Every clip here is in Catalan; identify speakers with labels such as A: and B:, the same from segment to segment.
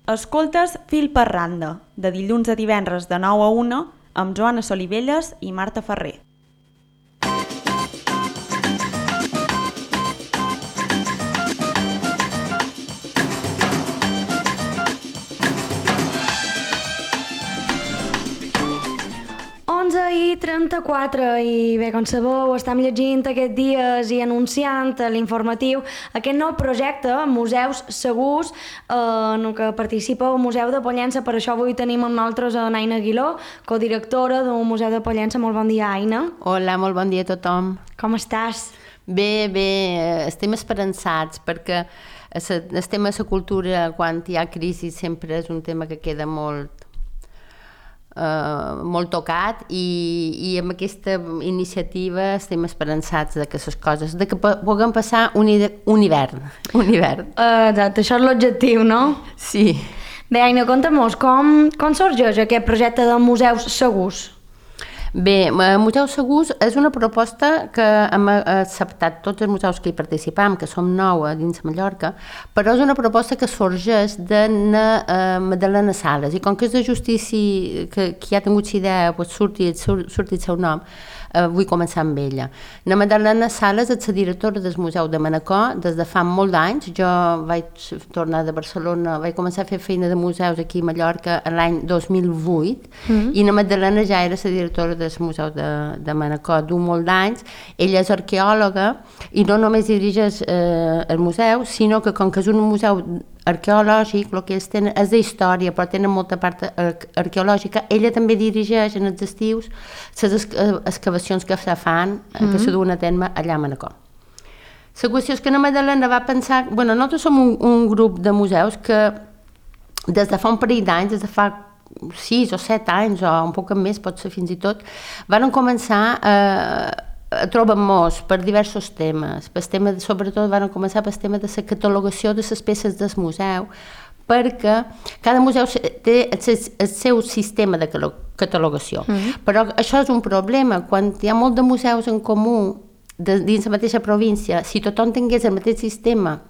A: Escoltes Fil per randa, de dilluns a divendres de 9 a 1, amb Joana Solivelles i Marta Ferrer.
B: I 34 i bé, com sabeu, estem llegint aquests dies i anunciant a l'informatiu aquest nou projecte, Museus Segurs, en què participa el Museu de Pollença. Per això avui tenim amb nosaltres a Aina Aguiló, codirectora del Museu de Pollença. Molt bon dia, Aina.
C: Hola, molt bon dia a tothom.
B: Com estàs?
C: Bé, estem esperançats perquè el tema de la cultura, quan hi ha crisi, sempre és un tema que queda molt tocat i amb aquesta iniciativa estem esperançats de que les coses, de que puguem passar un hivern.
B: Exacte, això és l'objectiu, no?
C: Sí.
B: Bé, Aina, conta'm-nos, com sorgeix aquest projecte de Museus Segurs?
C: Bé, Museus Segurs és una proposta que hem acceptat tots els museus que hi participam, que som 9 dins Mallorca, però és una proposta que sorgeix de Madalena Sales, i com que és de justícia que ha tingut la idea, surti el seu nom, vull començar amb ella. La Madalena Sales és la directora del Museu de Manacor des de fa molt d'anys. Jo vaig tornar de Barcelona, vaig començar a fer feina de museus aquí a Mallorca l'any 2008 i la Madalena ja era la directora del Museu de Manacor d'un molt d'anys. Ella és arqueòloga i no només dirigeix el museu, sinó que com que és un museu arqueològic, el que ells tenen és d'història, però tenen molta part arqueològica. Ella també dirigeix en els estius les excavacions que se fan, que se duen a terme allà a Manacor. La qüestió és que la Madalena va pensar... nosaltres som un grup de museus que des de fa un parell d'anys, des de fa 6 o 7 anys, o un poc més, pot ser fins i tot, van començar a trobar-nos per diversos temes. Sobretot van començar pel tema de la catalogació de les peces del museu, perquè cada museu té el seu sistema de catalogació. Però això és un problema. Quan hi ha molt de museus en comú dins la mateixa província, si tothom tingués el mateix sistema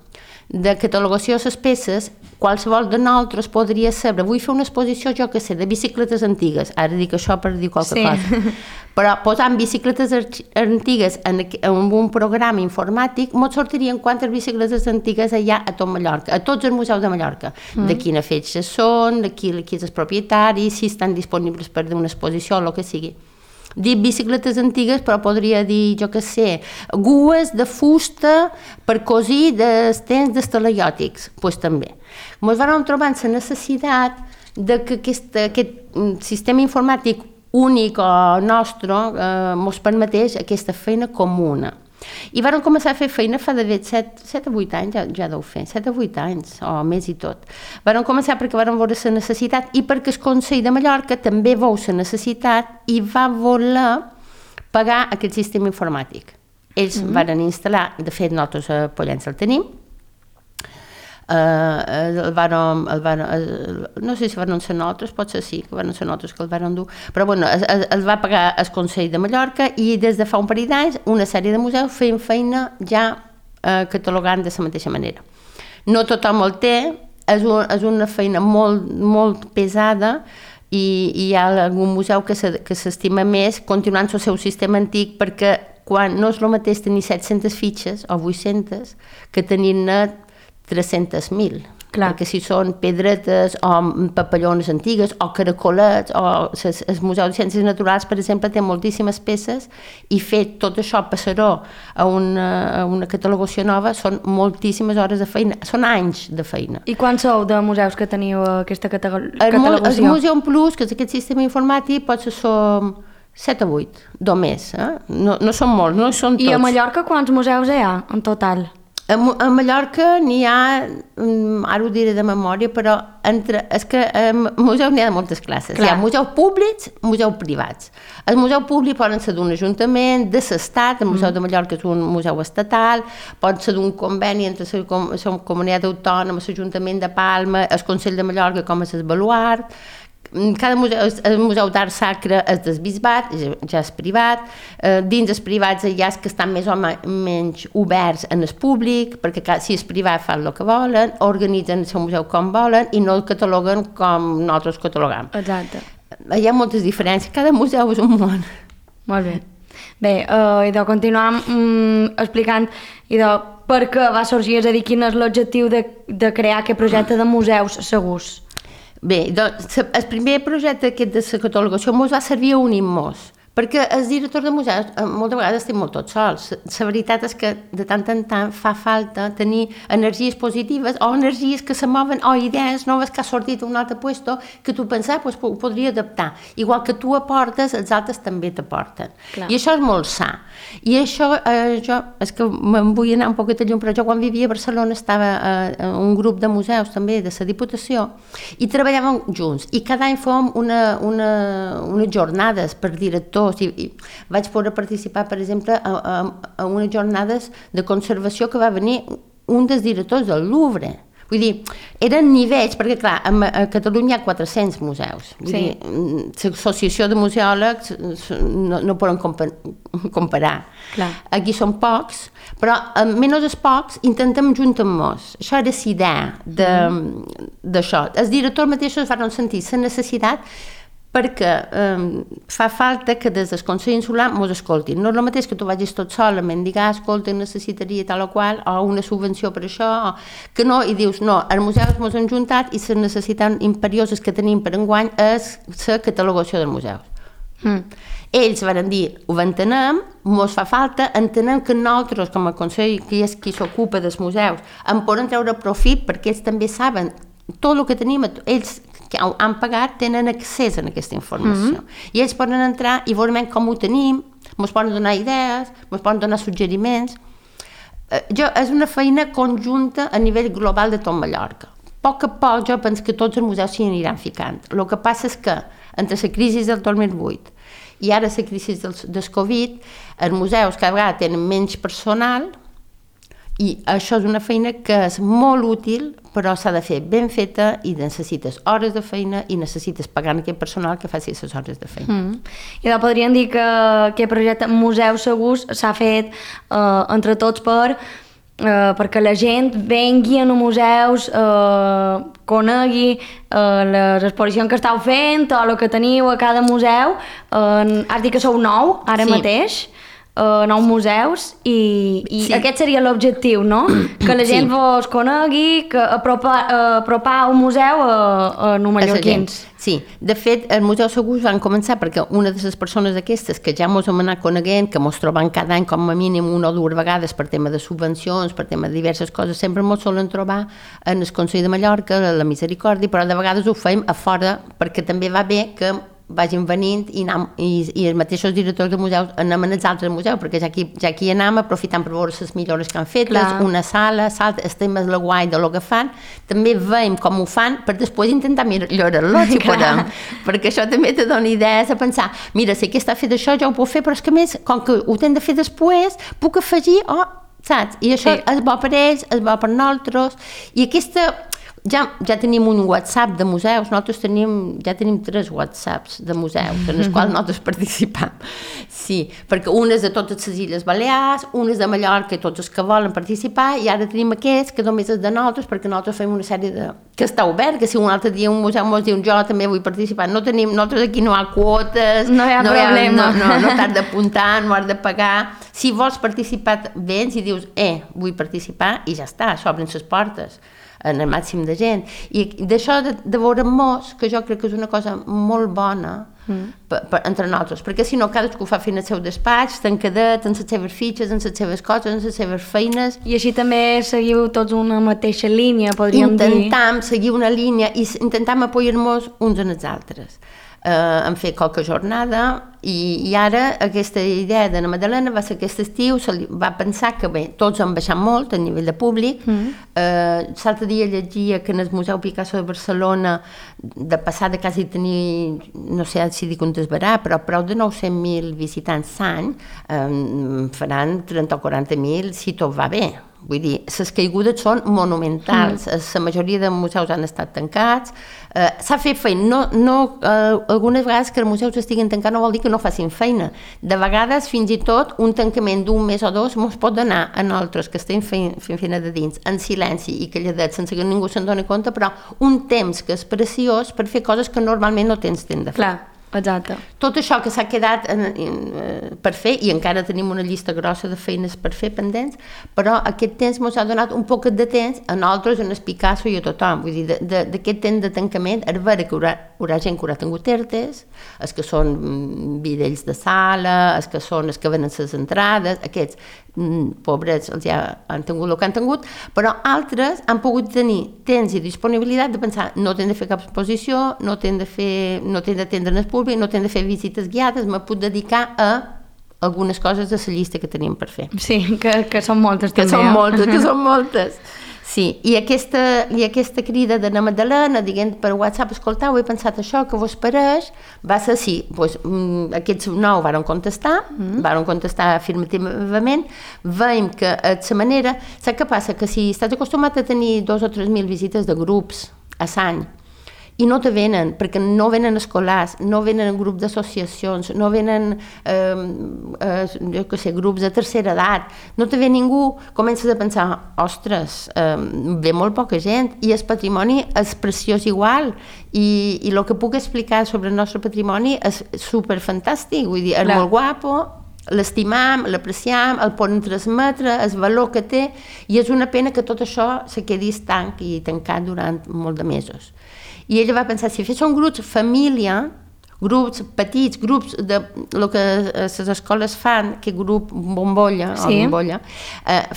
C: de catalogació de les peces, qualsevol de nosaltres podria saber, vull fer una exposició, jo que sé, de bicicletes antigues, ara dic això per dir qualque cosa, però posant bicicletes antigues en un programa informàtic, ens sortirien quantes bicicletes antigues hi ha a tot Mallorca, a tots els museus de Mallorca, de quina fetge són, de qui és el propietari, si estan disponibles per una exposició o el que sigui. Dic bicicletes antigues, però podria dir, jo què sé, gues de fusta per cosir dels temps dels talaiòtics, doncs també. Ens vam trobar la necessitat de que aquest sistema informàtic únic o nostre ens permetés aquesta feina comuna. I vam començar a fer feina fa de 7 o 8 anys, ja deu fer, 7 o 8 anys, o més i tot. Vam començar perquè vam veure la necessitat i perquè el Consell de Mallorca també veu la necessitat i va voler pagar aquest sistema informàtic. Ells van instal·lar, de fet nosaltres a Pollença el tenim, no sé si van ser nosaltres, potser sí que van ser nosaltres que el van dur, però el va pagar el Consell de Mallorca i des de fa un parell d'anys una sèrie de museus feien feina ja catalogant de la mateixa manera. No tothom el té, és una feina molt pesada i hi ha algun museu que s'estima més continuant el seu sistema antic, perquè quan no és el mateix tenir 700 fitxes o 800 que tenir-ne 300.000, perquè si són pedretes o papallones antigues o caracolets o el Museu de Ciències Naturals, per exemple, té moltíssimes peces i fer tot això passar-ho a una catalogació nova són moltíssimes hores de feina, són anys de feina.
B: I quants sou de museus que teniu aquesta catalogació?
C: El Museum Plus, que és aquest sistema informàtic, potser som 7 o 8, només, no són molts, no són tots.
B: I a Mallorca quants museus hi ha en total?
C: A Mallorca n'hi ha, ara ho diré de memòria, però és que a museu n'hi ha de moltes classes. Hi ha museus públics, museus privats. El museu públic poden ser d'un ajuntament, de l'Estat, el Museu de Mallorca és un museu estatal, pot ser d'un conveni entre la comunitat autònoma, l'Ajuntament de Palma, el Consell de Mallorca com és el Baluart, cada museu, el Museu d'Art Sacre és del Bisbat, ja és privat, dins els privats hi ha els que estan més o menys oberts en el públic, perquè si és privat fan el que volen, organitzen el seu museu com volen i no el cataloguen com nosaltres catalogam.
B: Exacte.
C: Hi ha moltes diferències, cada museu és un món.
B: Molt bé. Bé, i de continuar explicant per què va sorgir, és a dir, quin és l'objectiu de crear aquest projecte de museus segurs.
C: Bé, doncs, el primer projecte aquest de la catalogació mos va servir a unir-nos, perquè els directors de museus moltes vegades estem molt tots sols. La veritat és que de tant en tant fa falta tenir energies positives o energies que se mouen o idees noves que ha sortit a un altre puesto que tu pensar, doncs, ho podria adaptar. Igual que tu aportes, els altres també t'aporten. I això és molt sa. I això, jo, és que me'n vull anar un poquet a llum, però jo quan vivia a Barcelona estava en un grup de museus també de la Diputació i treballàvem junts i cada any fèiem unes jornades per directors i vaig poder participar, per exemple, a unes jornades de conservació que va venir un dels directors del Louvre. Vull dir, eren nivells, perquè clar, a Catalunya hi ha 400 museus. Vull dir, l'associació de museòlegs no poden comparar.
B: Clar.
C: Aquí són pocs, però menys els pocs intentem juntar-nos. Això era la idea d'això. Els directors mateixos van sentir la necessitat perquè fa falta que des del Consell Insular mos escoltin. No és el mateix que tu vagis tot sol a mendigar, escolta, necessitaria tal o qual, o una subvenció per això, que no, i dius, no, els museus mos han juntat i les necessitats imperioses que tenim per enguany és la catalogació dels museus. Ells van dir, ho entenem, mos fa falta, entenem que nosaltres, com a Consell, que és qui s'ocupa dels museus, en poden treure profit perquè ells també saben tot el que tenim, ells que han pagat tenen accés a aquesta informació. I ells poden entrar i veurem com ho tenim, ens poden donar idees, ens poden donar suggeriments. És una feina conjunta a nivell global de tot Mallorca. A poc jo penso que tots els museus s'hi aniran ficant. El que passa és que entre la crisi del 2008 i ara la crisi del Covid, els museus cada vegada tenen menys personal i això és una feina que és molt útil, però s'ha de fer ben feta i necessites hores de feina i necessites pagar aquest personal que faci les hores de feina.
B: I doncs podríem dir que aquest projecte Museus Segurs s'ha fet entre tots perquè la gent vengui a museus, conegui les exposicions que estàu fent o el que teniu a cada museu. Has dit que sou 9 ara mateix. 9 museus i aquest seria l'objectiu, no? Que la gent vos conegui, que apropar un museu a mallorquins.
C: Sí, de fet, els museus segurs van començar perquè una de les persones aquestes que ja mos hem anat coneguent, que mos trobem cada any com a mínim una o dues vegades per tema de subvencions, per tema de diverses coses, sempre mos solen trobar en el Consell de Mallorca, la Misericòrdia, però de vegades ho fem a fora perquè també va bé que vagin venint i els mateixos directors de museus anem als altres museus, perquè ja aquí anem aprofitant per veure les millores que han fet, una sala, estem més la guai de lo que fan, també veiem com ho fan per després intentar millorar-lo, si podem, perquè això també te dona idees a pensar, mira, si aquest ha fet això, jo ho puc fer, però és que més, com que ho hem de fer després, puc afegir, saps? I això és bo per ells, és bo per nosaltres, i aquesta... Ja tenim un WhatsApp de museus, nosaltres ja tenim 3 WhatsApps de museus, en els quals nosaltres participam. Sí, perquè un és de totes les Illes Balears, un és de Mallorca i tots els que volen participar, i ara tenim aquests que només és de nosaltres, perquè nosaltres fem una sèrie de... que està obert, que si un altre dia un museu ens diu jo també vull participar, nosaltres aquí no hi ha quotes,
B: no hi ha problema.
C: No t'has d'apuntar, no has de pagar. Si vols participar, vens i dius, vull participar, i ja està, s'obren les portes en el màxim de gent. I d'això de veure-nos, que jo crec que és una cosa molt bona entre nosaltres, perquè si no cadascú fa feina al seu despatx, tancadet, en les seves fitxes, en les seves coses, en les seves feines.
B: I així també seguiu tots una mateixa línia, podríem dir.
C: Intentam seguir una línia i intentam apoyar-nos uns en els altres. Hem fet qualque jornada I ara aquesta idea de la Madalena va ser aquest estiu, va pensar que bé, tots han baixat molt a nivell de públic. L'altre dia llegia que en el Museu Picasso de Barcelona de passar de quasi tenir, no sé si dic un desbarat, però prou de 900.000 visitants l'any, faran 30 o 40.000 si tot va bé. Vull dir, les caigudes són monumentals, la majoria de museus han estat tancats, s'ha fet feina, algunes vegades que els museus estiguin tancats no vol dir que no facin feina, de vegades fins i tot un tancament d'un mes o dos ens pot donar a nosaltres que estem fent feina de dins, en silenci i calladets sense que ningú se'n doni compte, però un temps que és preciós per fer coses que normalment no tens temps de fer.
B: Clar. Exacte.
C: Tot això que s'ha quedat per fer, i encara tenim una llista grossa de feines per fer pendents, però aquest temps ens ha donat un poc de temps a nosaltres, a Picasso i a tothom. Vull dir, d'aquest temps de tancament, és vera que hi haurà gent que haurà tingut ERTEs, els que són vidells de sala, els que venen les entrades, aquests pobres ja han tingut el que han tingut, però altres han pogut tenir temps i disponibilitat de pensar no t'hem de fer cap exposició, no t'hem d'atendre el públic, no t'hem de fer visites guiades, me puc dedicar a algunes coses de la llista que tenim per fer.
B: Sí, que són moltes també.
C: Que són moltes. Sí, i aquesta crida de la Madalena, diguem per WhatsApp, escoltau, he pensat això, que vos pareix, va ser sí, doncs, aquests 9 varen contestar afirmativament, veiem que de manera, saps què passa? Que si estàs acostumat a tenir 2 o 3.000 visites de grups a l'any, i no te venen, perquè no venen escolars, no venen grups d'associacions, no venen grups de tercera edat, no te ve ningú, comences a pensar, ostres, ve molt poca gent i el patrimoni és preciós igual i el que puc explicar sobre el nostre patrimoni és superfantàstic, vull dir, és molt guapo, l'estimam, l'apreciam, el podem transmetre, el valor que té, i és una pena que tot això se quedi estanc i tancat durant molt de mesos. I ella va pensar, si féssim grups família, grups petits, grups de el que les escoles fan, que grup bombolla, sí.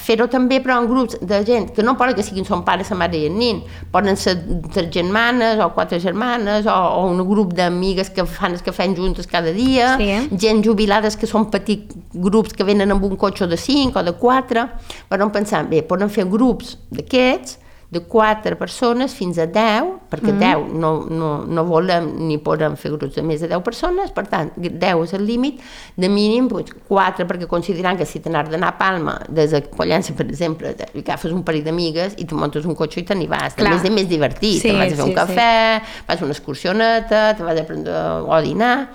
C: Fer-ho també però en grups de gent que no poden que siguin son pare, sa mare i el nin, poden ser 3 germanes o 4 germanes o un grup d'amigues que fan el que fan juntes cada dia, sí. Gent jubilades que són petits grups que venen amb un cotxe de 5 o de 4, però pensant, bé, poden fer grups d'aquests de 4 persones fins a 10, perquè 10 no volem ni podem fer grups de més de 10 persones, per tant, 10 és el límit, de mínim 4, perquè considerant que si t'anar d'anar a Palma, des de Pollença, per exemple, agafes un parell d'amigues i tu muntes un cotxe i te n'hi vas, també és més divertit, te vas a fer un cafè, fas una excursioneta, te vas a prendre o dinar,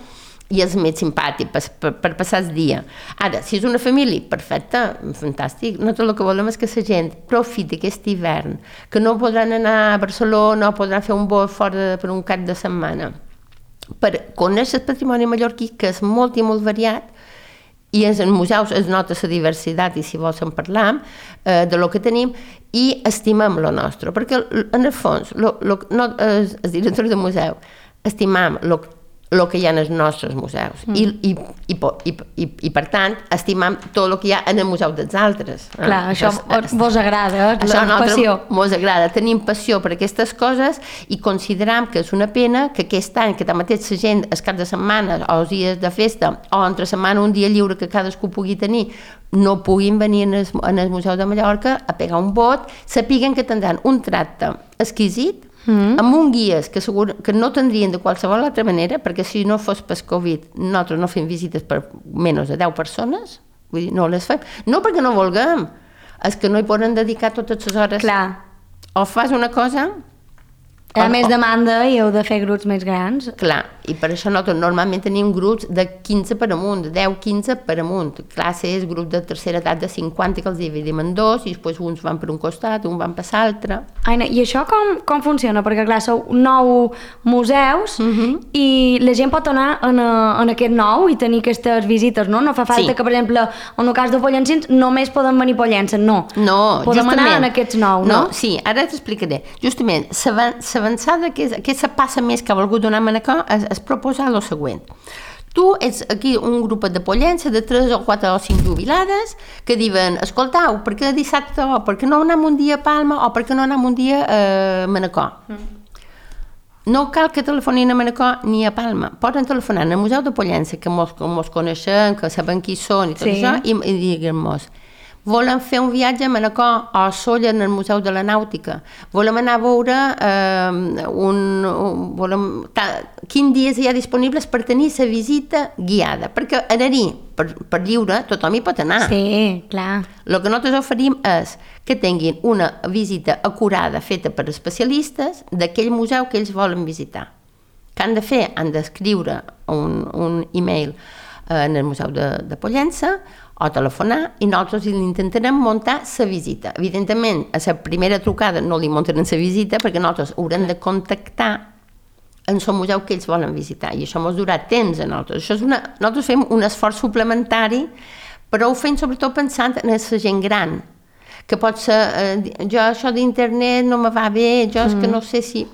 C: i és més simpàtic per passar el dia. Ara, si és una família, perfecte, fantàstic. Nosaltres el que volem és que la gent profiti aquest hivern, que no podran anar a Barcelona o podran fer un vol fora per un cap de setmana, per conèixer el patrimoni mallorquí, que és molt i molt variat, i en els museus es nota la diversitat, i si vols en parlam, de lo que tenim, i estimem lo nostre, perquè en el fons, els directors de museu, estimam el que hi ha en els nostres museus i per tant estimam tot el que hi ha en el museu dels altres.
B: Clar, això vos agrada, la passió.
C: Mos agrada, tenim passió per aquestes coses i consideram que és una pena que aquest any, que tanmateix la gent els caps de setmana o els dies de festa o entre setmana un dia lliure que cadascú pugui tenir, no puguin venir en el Museu de Mallorca a pegar un vot, sapiguen que tindran un tracte exquisit, amb un guies que segur que no tindrien de qualsevol altra manera, perquè si no fos per Covid nosaltres no fem visites per menys de 10 persones, vull dir, no les fem, no perquè no vulguem, és que no hi poden dedicar totes les hores.
B: Clar.
C: O fas una cosa...
B: A més demanda i heu de fer grups més grans.
C: Clar, i per això nosaltres normalment tenim grups de 15 per amunt, de 10-15 per amunt. Classe és grup de tercera edat de 50 que els dividim en 2 i després uns van per un costat, uns van per l'altre.
B: Aina, i això com funciona? Perquè clar, sou 9 museus i la gent pot anar en aquest 9 i tenir aquestes visites, no? No fa falta que, per exemple, en el cas de Pollencins només poden venir Pollença, no.
C: No,
B: podem anar en aquests 9, no?
C: Sí, ara t'explicaré. Justament, l'avançada que se passa més que ha volgut donar-me és proposar el següent. Tu ets aquí un grup de Pollença de 3 o 4 o 5 jubilades que diuen, escoltau, per què dissabte o per què no anem un dia a Palma o per què no anem un dia a Manacor? no cal que telefonin a Manacor ni a Palma. Poden telefonar al Museu de Pollença, que mos coneixem, que sabem qui són i tot això, i diguem-nos: volem fer un viatge a Manacor o a Sóller en el Museu de la Nàutica. Volem anar a veure quins dies hi ha disponibles per tenir la visita guiada. Perquè anar-hi per lliure tothom hi pot anar.
B: Sí, clar.
C: El que nosaltres oferim és que tinguin una visita acurada feta per especialistes d'aquell museu que ells volen visitar. Què han de fer? Han d'escriure un e-mail en el Museu de Pollença o telefonar i nosaltres intentarem muntar la visita. Evidentment, a la primera trucada no li muntarem la visita perquè nosaltres haurem de contactar en el museu que ells volen visitar i això ens durà temps a nosaltres. Nosaltres fem un esforç suplementari, però ho fem sobretot pensant en la gent gran, que pot ser, jo això d'internet no me va bé, jo és que no sé si...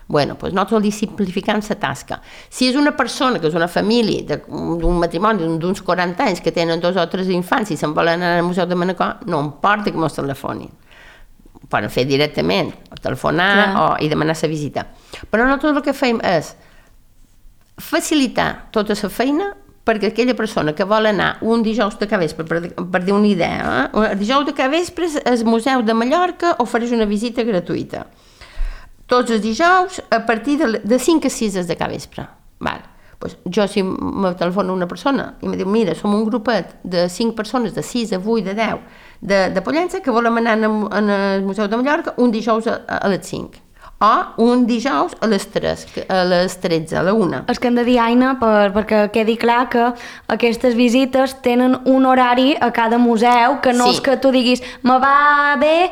C: Bueno, doncs nosaltres li simplificam la tasca. Si és una persona, que és una família d'un matrimoni d'uns 40 anys que tenen 2 o 3 infants i se'n volen anar al Museu de Manacor, no importa que mos telefonin. Ho poden fer directament, o telefonar i demanar la visita. Però nosaltres el que fem és facilitar tota la feina perquè aquella persona que vol anar un dijous de capvespre, per dir una idea, el dijous de capvespre el Museu de Mallorca ofereix una visita gratuïta. Tots els dijous a partir de 5 a 6 de capvespre. Pues jo si me telefona una persona i me diu: mira, som un grupet de 5 persones, de 6 a 8, de 10 de Pollença que volem anar al Museu de Mallorca un dijous a les 5 o un dijous a les 13, a la 1.
B: És que hem de dir, Aina, perquè quedi clar que aquestes visites tenen un horari a cada museu, que no és que tu diguis me va bé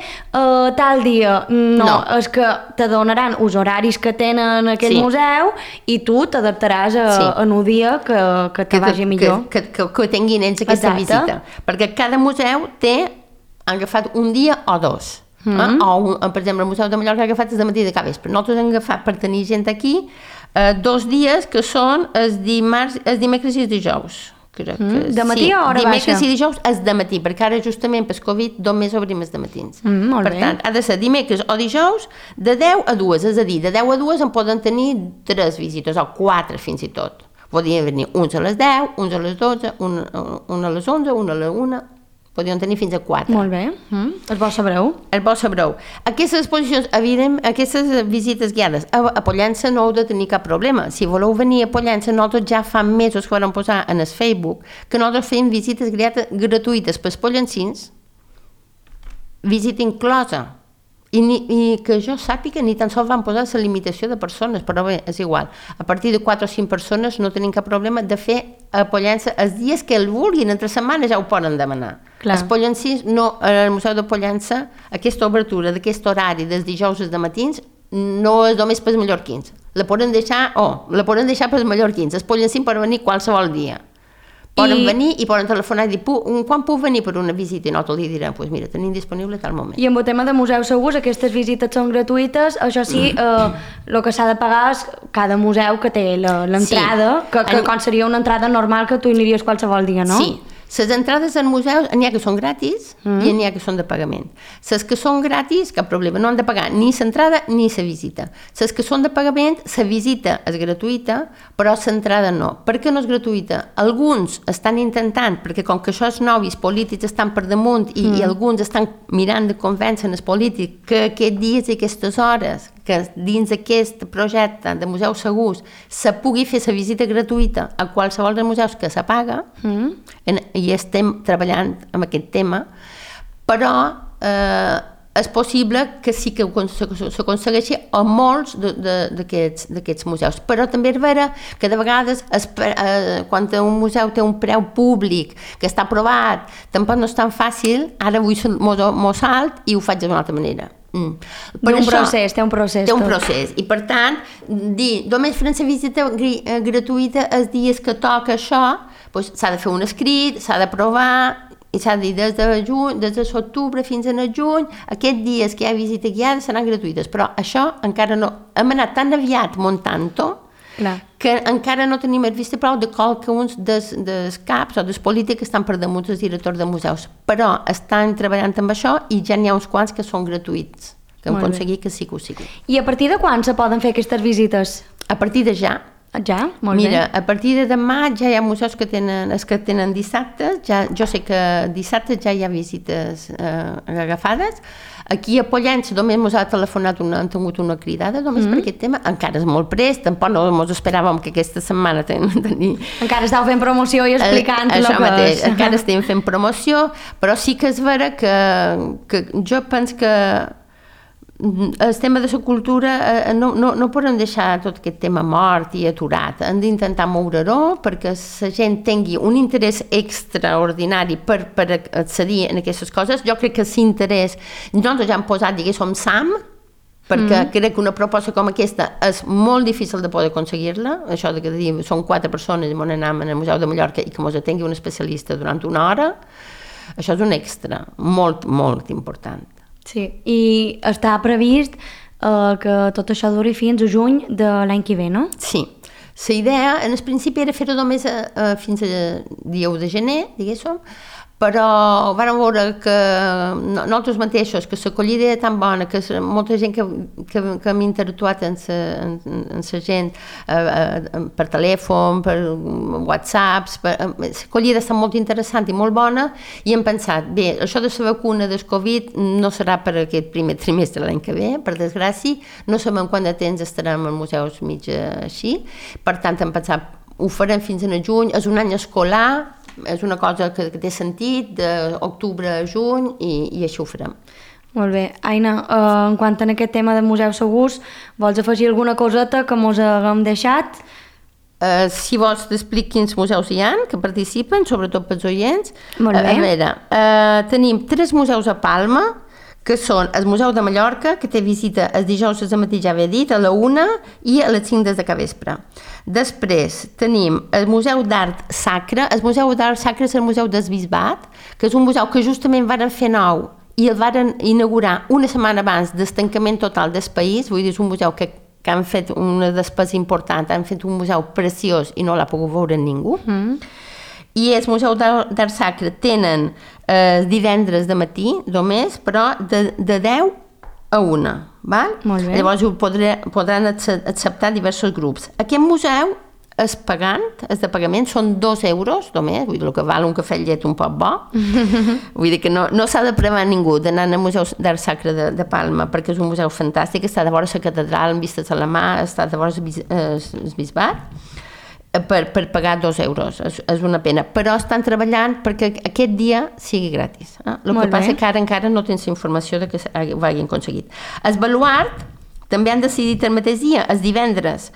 B: tal dia. No, és que te donaran els horaris que tenen aquell museu i tu t'adaptaràs en un dia que te vagi millor.
C: Que tinguin ells aquesta visita. Perquè cada museu han agafat un dia o 2. O, per exemple, el Museu de Mallorca ha agafat el matí de capvespre. Nosaltres hem agafat per tenir gent aquí 2 dies que són el dimecres i el dijous.
B: De matí o hora baixa?
C: Dimecres i dijous és de matí, perquè ara justament per Covid només obrim els dematins. Per tant, ha de ser dimecres o dijous de 10 a 2, és a dir, de 10 a 2 en poden tenir 3 visites o 4 fins i tot. Podien venir uns a les 10, uns a les 12, un a les 11, un a les 1... Podien tenir fins a 4.
B: Molt bé. El bo sabreu.
C: El bo sabreu. Aquestes exposicions, evidentment, aquestes visites guiades a Pollença no heu de tenir cap problema. Si voleu venir a Pollença, nosaltres ja fa mesos que vam posar en el Facebook que nosaltres fem visites gratuïtes pels pollencins, visita inclosa. I que jo sàpiga ni tan sols van posar la limitació de persones, però bé, és igual. A partir de 4 o 5 persones no tenim cap problema de fer a Pollença els dies que el vulguin, entre setmanes ja ho poden demanar. Els pollencins, al Museu de Pollença, aquesta obertura d'aquest horari dels dijous de matins no és només pels mallorquins. La poden deixar pels mallorquins. Els pollencins poden venir qualsevol dia. Poden venir i poden telefonar i dir quan puc venir per una visita i nosaltres li direm, doncs mira, tenim disponible tal moment.
B: I amb el tema de museus segurs, aquestes visites són gratuïtes, això sí, el que s'ha de pagar és cada museu que té l'entrada, que com seria una entrada normal que tu aniries qualsevol dia, no?
C: Sí. Les entrades als museus n'hi ha que són gratis i n'hi ha que són de pagament. Les que són gratis, cap problema, no han de pagar ni l'entrada ni la visita. Les que són de pagament, la visita és gratuïta, però l'entrada no. Per què no és gratuïta? Alguns estan intentant, perquè com que això és nou i els polítics estan per damunt i alguns estan mirant de convèncer els polítics que aquests dies i aquestes hores que dins d'aquest projecte de museus segurs se pugui fer la visita gratuïta a qualsevol dels museus que se paga, i estem treballant amb aquest tema, però és possible que sí que s'aconsegueixi a molts d'aquests museus. Però també és vera que de vegades quan un museu té un preu públic que està aprovat, tampoc no és tan fàcil, ara vull m'ho salt i ho faig d'una altra manera.
B: Té un procés.
C: Té un procés. I per tant, dir només farem la visita gratuïta els dies que toca això, s'ha de fer un escrit, s'ha d'aprovar, i s'ha de dir des de l'octubre fins al juny, aquests dies que hi ha visita guiada seran gratuïtes, però això encara no. Hem anat tan aviat muntant-ho que encara no tenim el vista prou de qualcuns dels caps o dels polítics que estan per damunt dels directors de museus, però estan treballant amb això i ja n'hi ha uns quants que són gratuïts que hem
B: Molt bé.
C: aconseguit que sí que ho sigui.
B: I a partir de quan se poden fer aquestes visites?
C: A partir de ja.
B: Ja? Molt
C: Mira,
B: bé.
C: a partir de demà ja hi ha museus que tenen dissabtes, jo sé que dissabtes ja hi ha visites agafades. Aquí a Pollença només ens ha telefonat han tingut una cridada només per aquest tema, encara és molt prest, tampoc no ens esperàvem que aquesta setmana tenir...
B: Encara estàu fent promoció i explicant
C: això
B: el que
C: mateix,
B: és.
C: encara estem fent promoció, però sí que és vera que jo penso que el tema de la cultura no podem deixar tot aquest tema mort i aturat. Hem d'intentar moure-ho perquè la gent tingui un interès extraordinari per accedir a aquestes coses. Jo crec que l'interès, nosaltres ja hem posat, diguéssim, SAM, perquè crec que una proposta com aquesta és molt difícil de poder aconseguir-la. Això de que són 4 persones i ens anem al Museu de Mallorca i que ens atengui un especialista durant una hora, això és un extra molt, molt important.
B: Sí, i està previst que tot això duri fins a juny de l'any que ve, no?
C: Sí. La idea, en el principi, era fer-ho només fins al dia 1 de gener, diguéssim, però vam veure que nosaltres mateixos, que l'acollida era tan bona, que molta gent que hem interactuat amb la gent per telèfon, per whatsapps, l'acollida està molt interessant i molt bona, i hem pensat, bé, això de la vacuna del Covid no serà per aquest primer trimestre de l'any que ve, per desgràcia, no sabem quant de temps estarem als museus mig així, per tant hem pensat, ho farem fins a juny, és un any escolar, és una cosa que té sentit, d'octubre a juny, i així ho farem.
B: Molt bé. Aina, en quant a aquest tema de museus segurs, vols afegir alguna coseta que mos haguem deixat?
C: Si vols t'explico quins museus hi ha que participen, sobretot pels oients.
B: Molt bé.
C: A veure, tenim 3 museus a Palma, que són el Museu de Mallorca, que té visita el dijous al matí, ja havia dit, a la 1 i a les 5 des de capvespre. Després tenim el Museu d'Art Sacre. El Museu d'Art Sacre és el Museu del Bisbat, que és un museu que justament varen fer nou i el varen inaugurar una setmana abans del tancament total del país. Vull dir, és un museu que han fet una despesa important, han fet un museu preciós i no l'ha pogut veure ningú. I el Museu d'Art Sacre tenen divendres de matí només, però de 10 a 1. Val?
B: Molt bé.
C: Llavors podran acceptar diversos grups. Aquest museu és pagant, és de pagament, són 2 euros només, vull dir, el que val un cafè llet un poc bo. Vull dir que no s'ha de prevar ningú d'anar al Museu d'Art Sacre de Palma, perquè és un museu fantàstic, està de vora la catedral, amb vistes a la mà, està de vora el bisbat. Per pagar 2 euros, és una pena, però estan treballant perquè aquest dia sigui gratis. El que passa que ara encara no tens informació de que ho hagin aconseguit. El Baluart també han decidit el mateix dia, els divendres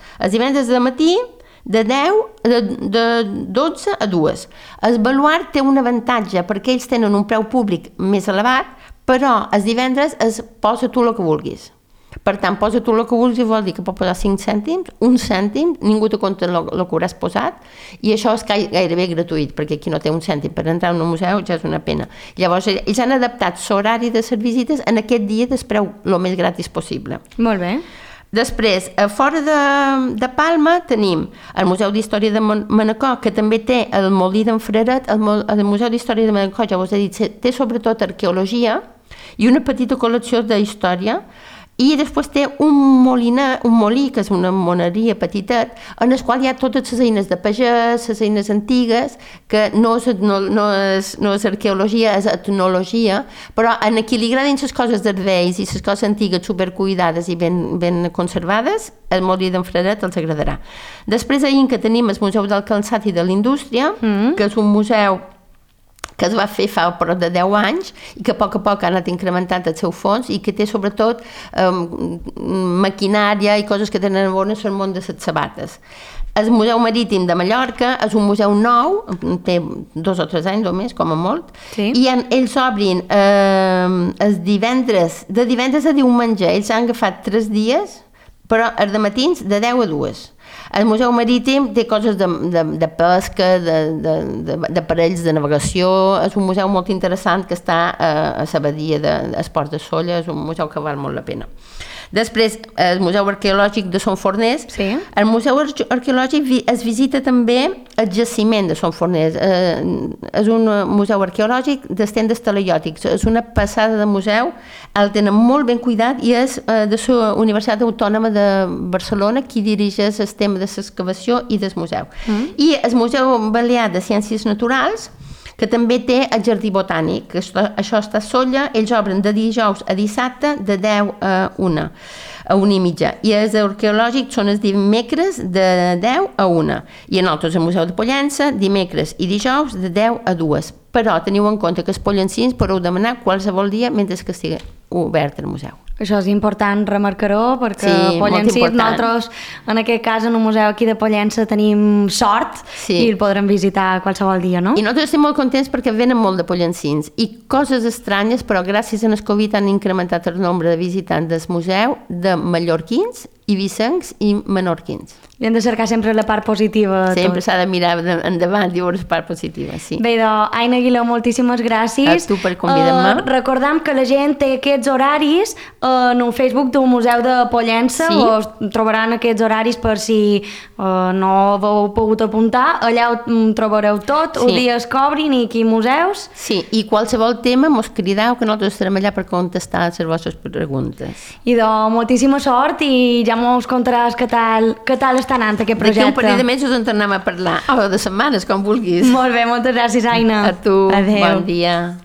C: de matí, de 12 a 2. El Baluart té un avantatge perquè ells tenen un preu públic més elevat, però els divendres posa tu el que vulguis. Per tant, posa tu el que vulguis, vol dir que pot posar 5 cèntims, 1 cèntim, ningú te compta el que hauràs posat, i això és gairebé gratuït, perquè qui no té 1 cèntim per entrar a un museu ja és una pena. Llavors, ells han adaptat l'horari de les visites en aquest dia del preu el més gratis possible.
B: Molt bé.
C: Després, a fora de Palma tenim el Museu d'Història de Manacor, que també té el Molí d'en Freret. El Museu d'Història de Manacor, ja us he dit, té sobretot arqueologia i una petita col·lecció d'història. I després té un molí, que és una moneria petitet, en el qual hi ha totes les eines de pagès, les eines antigues, que no és arqueologia, és etnologia, però en qui li agradin les coses dels vells i les coses antigues supercuidades i ben conservades, el molí d'en Freret els agradarà. Després que tenim el Museu del Calçat i de la Indústria, que és un museu que es va fer fa prop de 10 anys i que a poc ha anat incrementant el seu fons i que té sobretot maquinària i coses que tenen bones al món de les sabates. El Museu Marítim de Mallorca és un museu nou, té 2 o 3 anys només, com a molt,
B: sí.
C: I ells obrin de divendres a diumenge. Ells han agafat 3 dies, però els de matins de 10 a 2. El Museu Marítim té coses de pesca, d'aparells de navegació, és un museu molt interessant que està a la badia d'Esports de Sóller, és un museu que val molt la pena. Després, el Museu Arqueològic de Son Forners.
B: Sí.
C: El Museu Arqueològic es visita també el jaciment de Son Forners. És un museu arqueològic d'estendes talaiòtics. És una passada de museu, el tenen molt ben cuidat i és de la Universitat Autònoma de Barcelona qui dirigeix el tema de l'excavació i del museu. I el Museu Balear de Ciències Naturals, que també té el Jardí Botànic. Això està a Sóller, ells obren de dijous a dissabte de 10 a 1, a 1:30. I els arqueològics són els dimecres de 10 a 1. I en altres el Museu de Pollença, dimecres i dijous de 10 a 2. Però teniu en compte que els pollencins podeu demanar qualsevol dia mentre que estigui obert el museu.
B: Això és important remarcar-ho, perquè
C: Sí,
B: Pollencí,
C: molt important.
B: nosaltres, en aquest cas, en un museu aquí de Pollença, tenim sort i el podrem visitar qualsevol dia, no?
C: I nosaltres estem molt contents perquè venen molt de pollencins i coses estranyes, però gràcies al Covid han incrementat el nombre de visitants del museu de mallorquins, ibicencs i menorquins.
B: I hem de cercar sempre la part positiva de
C: Sempre
B: tot.
C: s'ha de mirar endavant i veure la part positiva, sí.
B: Bé, doncs, Aina Aguiló, moltíssimes gràcies.
C: A tu per convidar-me.
B: Recordam que la gent té aquests horaris en el Facebook del Museu de Pollença,
C: Sí.
B: o trobaran aquests horaris per si no heu pogut apuntar. Allà ho trobareu tot,
C: Sí.
B: els dies que obrin i aquí museus.
C: Sí, i qualsevol tema mos crideu que nosaltres estarem allà per contestar les vostres preguntes.
B: I doncs, moltíssima sort i ja mos contaràs què tal està anant aquest
C: D'aquí
B: projecte.
C: un parell de mesos en tornem a parlar, o de setmanes, com vulguis.
B: Molt bé, moltes gràcies, Aina.
C: A tu,
B: Adéu.
C: bon dia.